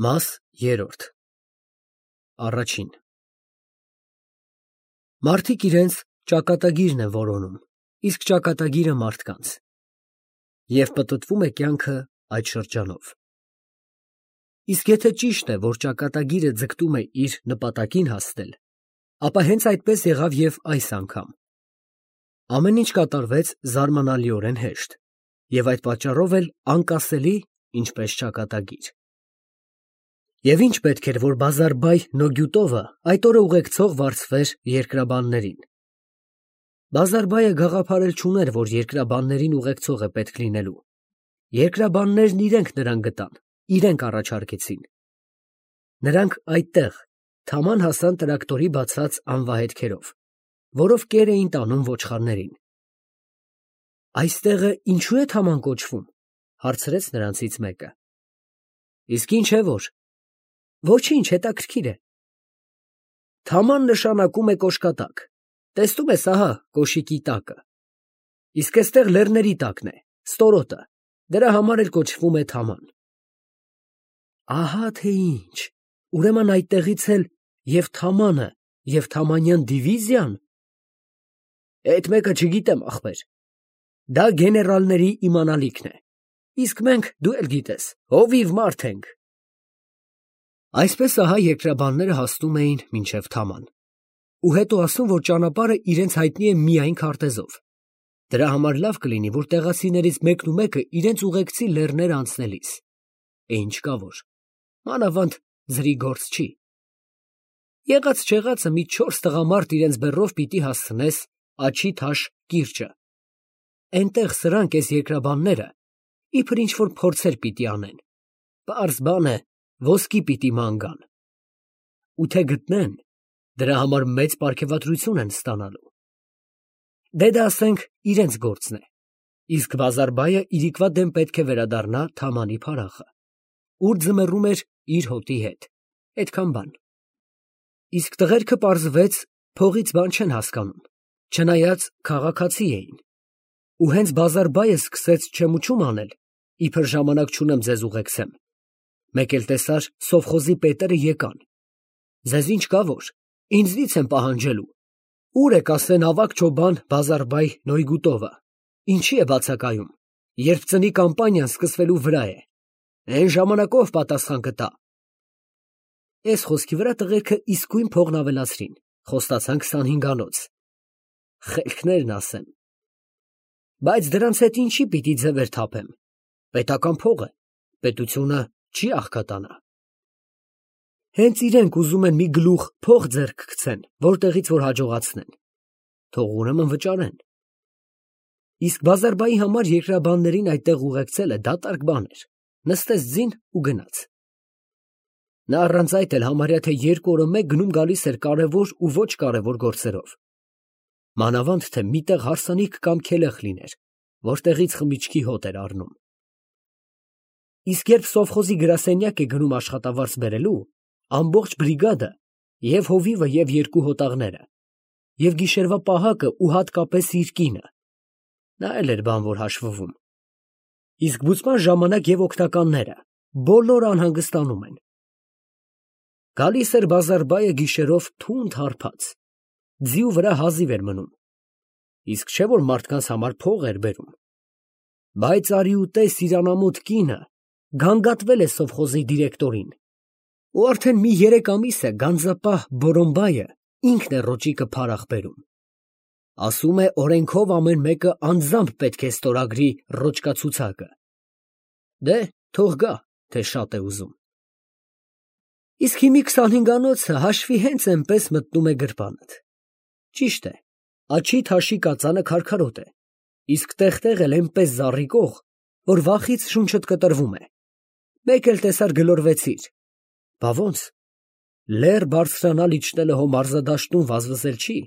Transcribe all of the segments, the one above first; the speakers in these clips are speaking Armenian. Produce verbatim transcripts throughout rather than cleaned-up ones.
Մաս երրորդ Առաջին Մարդիկ իրենց ճակատագիրն են որոնում, իսկ ճակատագիրը մարդկանց, և պտտվում է կյանքը այդ շրջանով։ Իսկ եթե ճիշտ է, որ ճակատագիրը ձգտում է իր նպատակին հասնել, ապա հենց այդպես եղավ և այս անգամ։ Ամեն ինչ կատարվեց զարմանալիորեն հեշտ, և այդ պատճառով էլ անկասելի, ինչպես ճակատագիր։ Եվ ի՞նչ պետք էր, որ բազարբայ Նոգյուտովը այդ օրը ուղեկցող վարձվեր երկրաբաններին։ Բազարբայը գաղափար էլ չուներ, որ երկրաբաններին ուղեկցող է պետք լինելու։ Երկրաբաններն իրենք նրան գտան, իրենք առաջարկեցին։ Նրանք այդտեղ թաման հասան տրակտորի բացած անվահետքերով, որով կեր էին տանում ոչխարներին։ Այստեղը ինչո՞ւ է թաման կոչվում, հարցրեց նրանցից մեկը։ Իսկ ինչ է որ։ Ոչինչ, հետաքրքիր է։ Թաման նշանակում է կոշկատակ, տեսնում ես ահա կոշիկի տակը, իսկ էստեղ լեռների տակն է, ստորոտը, դրա համար էլ կոչվում է թաման։ Ահա թե ինչ, ուրեմն այդտեղից էլ և թամանը, և թամանյան դիվիզիան։ Էդ մեկը չգիտեմ, ախպեր, դա գեներալների իմանալիքն է, իսկ մենք, դու էլ գիտես, հովիվ մարդ ենք։ Այսպես ահա երկրաբանները հասնում էին մինչև թաման, ու հետո ասում, որ ճանապարհը իրենց հայտնի է միայն քարտեզով։ Դրա համար լավ կլինի, որ տեղացիներից մեկն ու մեկը իրենց ուղեկցի լեռները անցնելիս։ Է ինչ կա որ, մանավանդ ձրի գործ չի։ Եղած չեղածը մի չորս տղամարդ իրենց բեռով պիտի հասցնես Աջի թաշ կիրճը։ Էնտեղ սրանք էս երկրաբանները իբր ինչ-որ փորձեր պիտի անեն։ Պարզ բան է, ոսկի պիտի ման գան։ Ու թե գտնեն, դրա համար մեծ պարգևատրություն են ստանալու։ Դե դա ասենք իրենց գործն է, իսկ Բազարբայը իրիկվա դեմ պետք է վերադառնա թամանի փարախը, ուր ձմեռում էր իր հոտի հետ, այդքան բան։ Իսկ տղերքը պարզվեց փողից բան չեն հասկանում, չնայած քաղաքացի էին։ Ու հենց Բազարբայը սկսեց չեմուչում անել, իբր ժամանակ չունեմ ձեզ ուղեկցեմ։ Մեկ էլ տեսար սովխոզի պետերը եկան։ Ձեզ ինչ կա որ, ինձնից են պահանջելու։ Ուր եք ասեն ավագ չոբան Բազարբայ Նոյգուտովը, ինչի է բացակայում, երբ ծնի կամպանիան սկսվելու վրա է։ Էն ժամանակով պատասխան կտա։ Էս խոսքի վրա տղերքը իսկույն փողն ավելացրին, խոստացան քսանհինգ անոց։ Խելքներն ասեմ։ Բայց դրանց հետ ինչի պիտի ձևեր թափեմ։ Պետական փող է, պետությունը չի աղքատանա։ Հենց իրենք ուզում են մի գլուխ փող ձեռք գցեն, որտեղից որ հաջողացնեն։ Թող ուրեմն վճարեն։ Իսկ Բազարբայի համար երկրաբաններին այդտեղ ուղեկցելը դատարկ բան էր, նստեց ձին ու գնաց։ Նա առանց այդ էլ համարյա թե երկու օրը մեկ գնում գալիս էր կարևոր ու ոչ կարևոր գործերով։ Մանավանդ թե միտեղ հարսանիք կամ քելեղ լիներ, որտեղից խմիչքի հոտ էր առնում։ Իսկ երբ սովխոզի գրասենյակ է գնում աշխատավարձ բերելու, ամբողջ բրիգադը, և հովիվը և երկու հոտաղները, և գիշերվա պահակը ու հատկապես իր կինը, նա էլ էր բան որ հաշվվում։ Իսկ բուծման ժամանակ և օգնականները բոլորը անհանգստանում են։ Գալիս էր Բազարբայը գիշերով թունդ հարբած, ձիու վրա հազիվ էր մնում, իսկ չէ որ մարդկանց համար փող էր բերում։ Բայց արի ուտես իր անամոթ կինը գանգատվել է սովխոզի դիրեկտորին, ու արդեն մի երեք ամիս է գանձապահ Բորոմբայը ինքն է ռոճիկը փարախ բերում։ Ասում է օրենքով ամեն մեկը անձամբ պետք է ստորագրի ռոճկացուցակը։ Դե թող գա, թե շատ է ուզում։ Իսկ հիմի քսանհինգ անոցը հաշվի հենց էնպես մտնում է գրպանդ։ Ճիշտ է, Աջի թաշի կածանը քարքարոտ է, իսկ տեղ֊տեղ էլ էնպես զառիկող, որ վախից շունչդ կտրվում է։ Մեկ էլ տեսար գլորվեցիր։ Բա ոնց, լեռ բարձրանալ իջնելը հո մարզադաշտում վազվզել չի,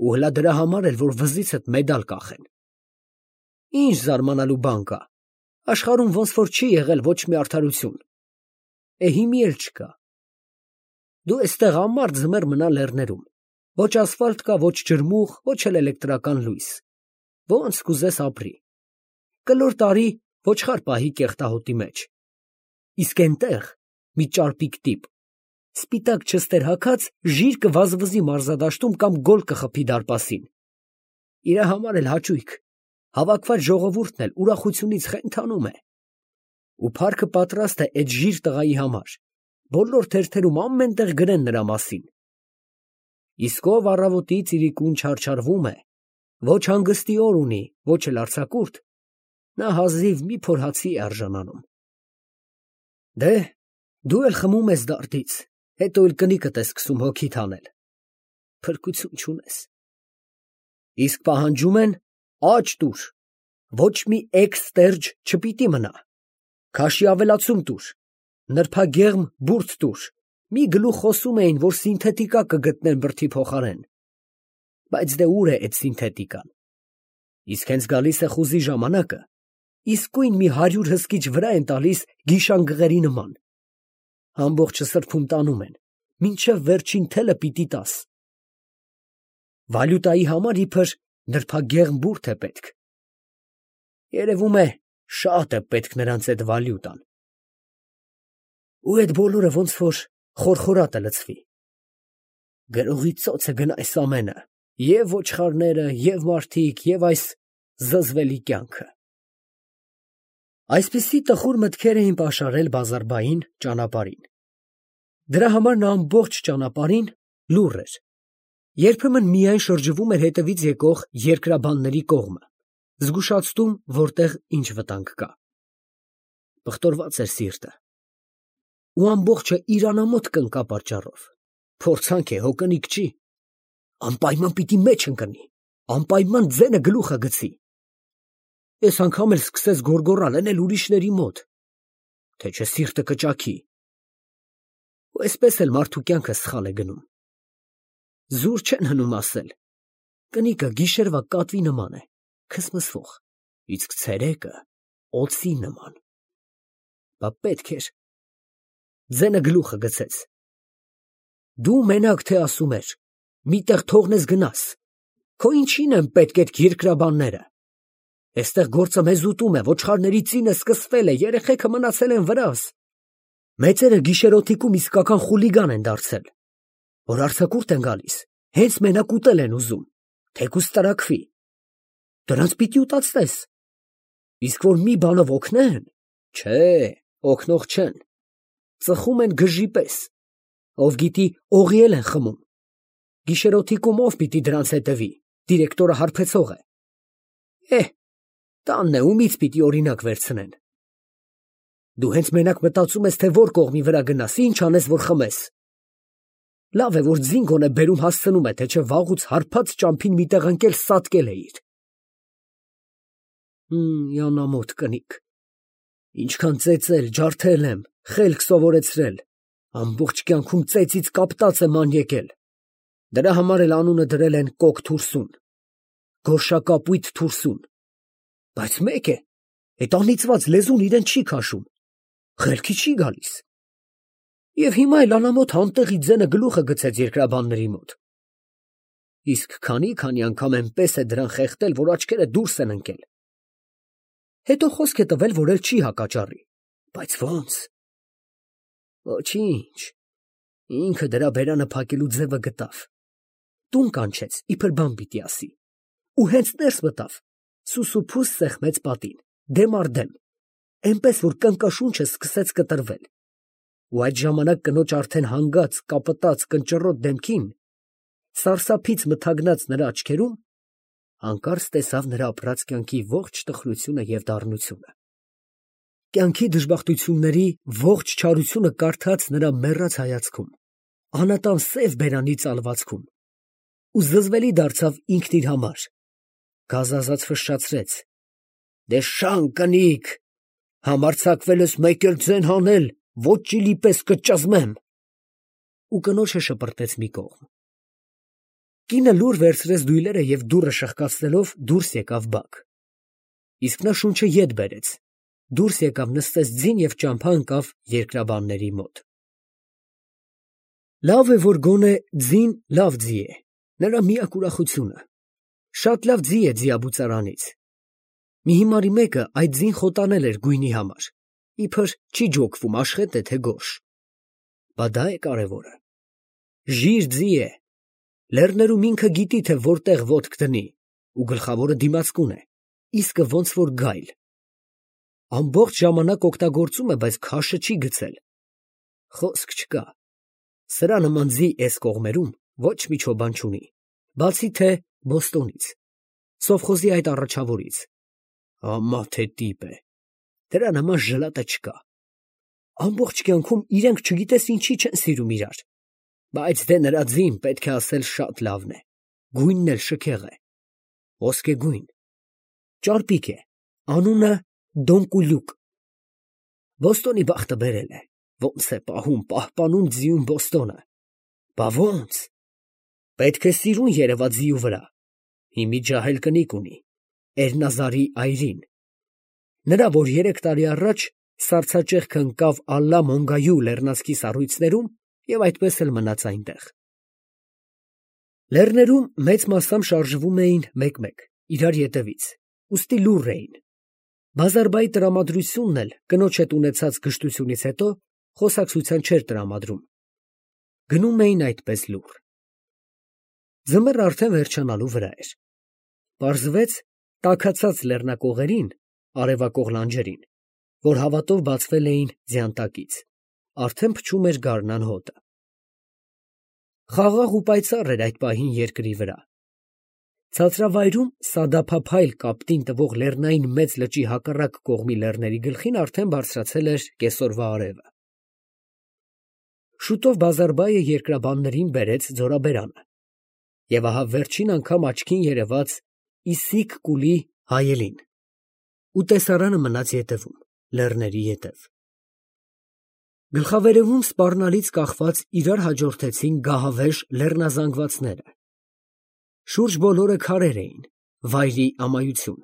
ու հլա դրա համար էլ, որ վզիցդ մեդալ կախեն։ Ինչ զարմանալու բան կա, աշխարհում ոնց որ չի եղել ոչ մի արդարություն։ Է հիմի էլ չկա։ Դու էստեղ ամառ ձմեռ մնա լեռներում, ոչ ասֆալտ կա, ոչ ջրմուղ, ոչ էլ էլեկտրական լույս, ոնց կուզես ապրի։ Կլոր տարի ոչխար պահի կեղտահոտի մեջ։ Իսկ էնտեղ մի ճարպիկ տիպ, սպիտակ չստեր հագած, ժիր կվազվզի մարզադաշտում կամ գոլ կխփի դարպասին։ Իրա համար էլ հաճույք, հավաքված ժողովուրդն էլ ուրախությունից խենթանում է։ Ու փառքը պատրաստ է այդ ժիր տղայի համար, բոլոր թերթերում ամեն տեղ գրեն նրա մասին։ Իսկ ով առավոտի ծիրիկուն չարչարվում է, ոչ հանգստի օր ունի, ոչ էլ արձակուրդ, նա հազիվ մի փոր հացի է արժանանում։ Դե, դու էլ խմում ես դարդից, հետո էլ կնիկդ է սկսում հոգիդ հանել։ Փրկություն չունես։ Իսկ պահանջում են աջ տուր, ոչ մի էքստերջ չպիտի մնա, քաշի ավելացում տուր, նրբագեղմ բուրդ տուր, մի գլուխ խոսում էին, որ սինթետիկա կգտնեն բրդի փոխարեն, բայց դե ուր է այդ սինթետիկան։ Իսկ հենց գալիս է խուզի ժամանակը, իսկույն մի հարյուր հսկիչ վրա են տալիս գիշանգղերի նման, ամբողջը սրբում տանում են, մինչև վերջին թելը պիտի տաս։ Վալյուտայի համար իբր նրբագեղմ բուրդ է պետք։ Երևում է, շատ է պետք նրանց այդ վալյուտան։ Ու այդ բոլորը ոնց որ խորխորատը լցվի։ Գրողի ծոցը գնա այս ամենը, և ոչխարները, և մարդիկ, և այս զզվելի կյանքը։ Այսպիսի տխուր մտքեր էին պաշարել Բազարբային ճանապարհին։ Դրա համար նա ամբողջ ճանապարհին լուռ էր, երբեմն միայն շրջվում էր հետևից եկող երկրաբանների կողմը, զգուշացնում, որտեղ ինչ վտանգ կա։ Բղտորված էր սիրտը, ու ամբողջը իրանամոտ կնկա պատճառով, փորձանք է, հո կնիկ չի, անպայման պիտի մեջ ընկնի, անպայման ձենը գլուխը գցի։ Այս անգամ էլ սկսեց գոռգոռալ, էն էլ ուրիշների մոտ, թե չէ սիրտը կճաքի։ Ու այսպես էլ մարդու կյանքը սխալ է գնում։ Զուր չեն հնում ասել, կնիկը գիշերվա կատվի նման է, քսմսվող, իսկ ցերեկը օձի նման։ Բա պետք էր։ Ձենը գլուխը գցեց։ Դու մենակ թե ասում էր, միտեղ թողնես գնաս, քո ինչին են պետք այդ երկրաբանները։ Այստեղ գործը մեզ ուտում է, ոչխարների ծինը սկսվել է, երեխեքը մնացել են վրաս։ Մեծերը գիշերօթիկում իսկական խուլիգան են դարձել, որ արձակուրդ են գալիս, հենց մենակ ուտել են ուզում, թեկուզ տրաքվի։ Դրանց պիտի ուտացնես։ Իսկ որ մի բանով օգնեն, չէ, օգնող չեն, ծխում են գժի պես, ով գիտի օղիել են խմում։ Գիշերօթիկում ով պիտի դրանց հետևի, դիրեկտորը հարբեցող է։ Էհ, տանն է, ումից պիտի օրինակ վերցնեն։ Դու հենց մենակ մտածում ես, թե որ կողմի վրա գնաս, ինչ անես, որ խմես։ Լավ է, որ ձինգոն է բերում հասցնում է, թե չէ վաղուց հարբած ճամփին մի տեղ ընկել սատկել էիր։ Հմ, յանամոտ կնիկ։ Ինչքան ծեծել, ջարդել եմ, խելք սովորեցրել, ամբողջ կյանքում ծեծից կապտած եմ ան եկել։ Դրա համար էլ անունը դրել են Կոկ Թուրսուն, գորշակապույտ Թուրսուն։ Բայց մեկ է, այդ անիծված լեզուն իրեն չի քաշում, խելքի չի գալիս։ Եվ հիմա էլ անամոթ անտեղի ձենը գլուխը գցեց երկրաբանների մոտ։ Իսկ քանի-քանի անգամ այնպես է դրան խեղդել, որ աչքերը դուրս են ընկել։ Հետո խոսք է տվել, որ էլ չի հակաճառի։ Բայց ո՞նց։ Ոչինչ, ինքը դրա բերանը փակելու ձևը գտավ։ Տուն կանչեց, իբր բան պիտի ասի։ Ու հենց ներս մտավ, սուսուփուս սեղմեց պատին, դեմ առ դեմ, այնպես որ կնկաշունչը սկսեց կտրվել։ Ու այդ ժամանակ կնոջ արդեն հանգած, կապտած, կնճռոտ դեմքին, սարսափից մթագնած նրա աչքերում, հանկարծ տեսավ նրա ապրած կյանքի ողջ տխրությունը և դառնությունը։ Կյանքի դժբախտությունների ողջ չարությունը կարդաց նրա մեռած հայացքում, անատան սև բերանի ծալվածքում, ու զզվելի դարձավ ինքն իր համար, գազազած ֆշշացրեց. Դե շան կնիկ, համարձակվել ես մեկ էլ ձեն հանել, ոչ ճիլի պես կճզմեմ։ Ու կնոջը շպրտեց մի կողմ։ Կինը լուր վերցրեց դույլերը և դուռը շխկացնելով դուրս եկավ բակ։ Իսկ նա շունչը ետ բերեց, դուրս եկավ, նստեց ձին և ճամփա ընկավ երկրաբանների մոտ։ Լավ է, որ գոնե ձին լավ ձի է, նրա միակ ուրախությունը։ Շատ լավ ձի է ձիաբուծարանից։ Մի հիմարի մեկը այդ ձին խոտանել էր գույնի համար, իբր չի ջոկվում, աշխետ է, թե գորշ։ Բա դա է կարևորը։ Ժիր ձի է։ Լեռներում ինքը գիտի, թե որտեղ ոտք դնի, ու գլխավորը դիմացկուն է, իսկը ոնց որ գայլ։ Ամբողջ ժամանակ օգտագործում է, բայց քաշը չի գցել։ Խոսք չկա։ Սրա նման ձի էս կողմերում ոչ մի չոբան չունի, բացի թե Բոստոնից, սովխոզի այդ առաջավորից։ Ամա թե տիպ է։ Դրա նման ժլատը չկա։ Ամբողջ կյանքում իրենք չգիտես ինչի չեն սիրում իրար։ Բայց դե նրա ձին պետք է ասել շատ լավն է։ Գույնն էլ շքեղ է։ Ոսկեգույն։ Ճարպիկ է։ Անունը Դոնկուլյուկ։ Բոստոնի բախտը բերել է։ Ոնց է պահում, պահպանում ձիուն Բոստոնը։ Բա ոնց։ Պետք է սիրուն երևա ձիու վրա։ Հիմի ջահել կնիկ ունի։ Էրնազարի այրին։ Նրա, որ երեք տարի առաջ սառցաճեղքը ընկավ Ալլա Մոնգայու լեռնանցքի սառույցներում և այդպես էլ մնաց այնտեղ։ Լեռներում մեծ մասամբ շարժվում էին մեկ֊մեկ, իրար ետևից, ուստի լուռ էին։ Բազարբայի տրամադրությունն էլ կնոջ հետ ունեցած գժտությունից հետո խոսակցության չէր տրամադրում։ Գնում էին այդպես լուռ։ Ձմեռը արդեն վերջանալու վրա էր։ Պարզվեց տաքացած լեռնակողերին, արևակող լանջերին, որ հավատով բացվել էին ձյան տակից, արդեն փչում էր գարնան հոտը։ Խաղաղ ու պայծառ էր այդ պահին երկրի վրա։ Ցածրավայրում սադափափայլ կապտին տվող լեռնային մեծ լճի հակառակ կողմի լեռների գլխին արդեն բարձրացել էր կեսօրվա արևը։ Շուտով Բազարբայը երկրաբաններին բերեց ձորաբերանը, և ահա վերջին անգամ աչքին երևաց Իսիկ Կուլի հայելին, ու տեսարանը մնաց ետևում, լեռների ետև։ Գլխավերևում սպառնալից կախված իրար հաջորդեցին գահավեժ լեռնազանգվածները։ Շուրջ բոլորը քարեր էին, վայրի ամայություն։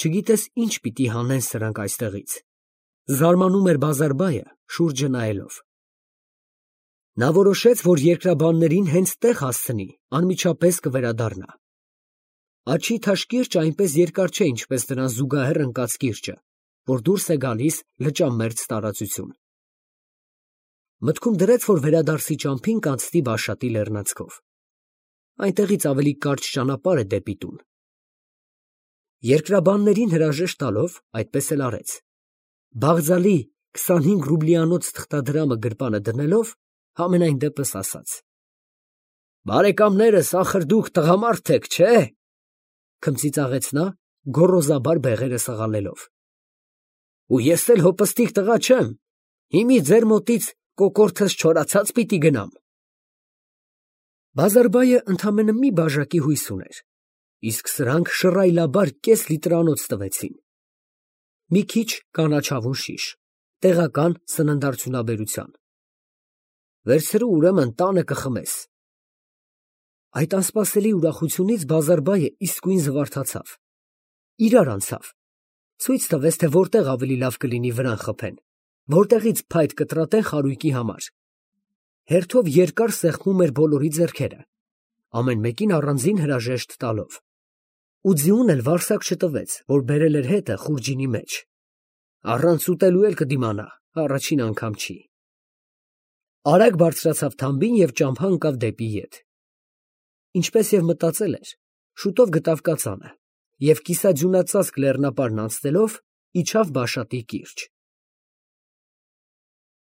Չգիտես ինչ պիտի հանեն սրանք այստեղից։ Զարմանում էր Բազարբայը, շուրջը նայելով։ Նա որոշեց, որ երկրաբաններին հենց տեղ հասցնի, անմիջապես կվերադառնա։ Աչի թաշկիրջը այնպես երկար չէ, ինչպես դրան զուգահեռ ընկած կիրճը, որ դուրս է գալիս լճամերձ տարածություն։ Մտքում դրեց, որ վերադարձի ճամփին կանցնի Բաշատի լեռնանցքով։ Այնտեղից ավելի կարճ ճանապարհ է դեպի տուն։ Երկրաբաններին հրաժեշտ տալով այդպես էլ արեց։ Բաղձալի քսանհինգ ռուբլիանոց թղթադրամը գրպանը դնելով, համենայն դեպս ասաց. «Բարեկամներս, ախր դուք տղամարդ եք, չէ՞», քմծիծաղեց նա, գոռոզաբար բեղերը սղալելով։ «Ու ես էլ հոպստիկ տղա չեմ, հիմի ձեր մոտից կոկորդս չորացած պիտի գնամ»։ Բազարբայը ընդամենը մի բաժակի հույս ուներ, իսկ սրանք շռայլաբար կես լիտրանոց տվեցին։ Մի քիչ կանաչավուն շիշ, տեղական սննդարդյունաբերության։ Վերցրու, ուրեմն տանը կխմես։ Այդ անսպասելի ուրախությունից Բազարբայը իսկույն զվարթացավ։ Իրար անցավ։ Ցույց տվեց, թե որտեղ ավելի լավ կլինի վրան խփեն, որտեղից փայտ կտրատեն խարույկի համար։ Հերթով երկար սեղմում էր բոլորի ձեռքերը, ամեն մեկին առանձին հրաժեշտ տալով։ Ու ձիուն էլ վարսակ չտվեց, որ բերել էր հետը խուրջինի մեջ։ Առանց ուտելու էլ կդիմանա, առաջին անգամ չի։ Արագ բարձրացավ թամբին և ճամփա ընկավ դեպի ետ։ Ինչպես և մտածել էր, շուտով գտավ կածանը և կիսաձյունածածկ լեռնապարն անցնելով իջավ Բաշատի կիրճ։